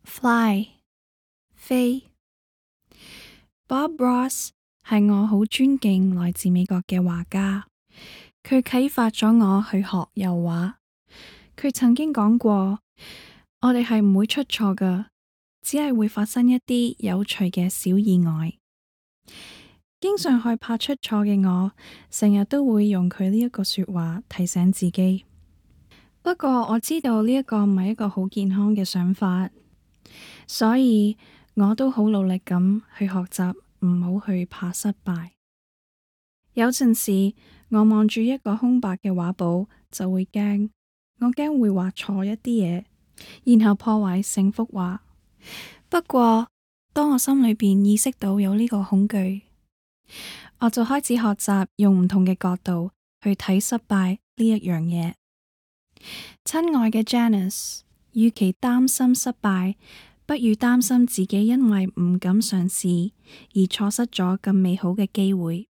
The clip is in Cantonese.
Fly 飛。Bob Ross 係我好尊敬來自美國嘅畫家，佢啟發咗我去學油畫。佢曾經講過，我哋係唔會出錯㗎，只係會發生一啲有趣嘅小意外。經常害怕出錯嘅我，成日都會用佢呢一個說話提醒自己。不過我知道呢一個唔係一個好健康嘅想法，所以我都好努力咁去學習，唔好去怕失敗。有陣時我望住一個空白嘅畫簿就會驚，我驚會畫錯一啲嘢，然後破壞成幅畫。不過當我心裏邊意識到有呢個恐懼，我就開始學習用唔同嘅角度去睇失敗呢一樣嘢。親愛嘅 Janice， 與其擔心失敗，不如擔心自己因為唔敢嘗試而錯失咗咁美好嘅機會。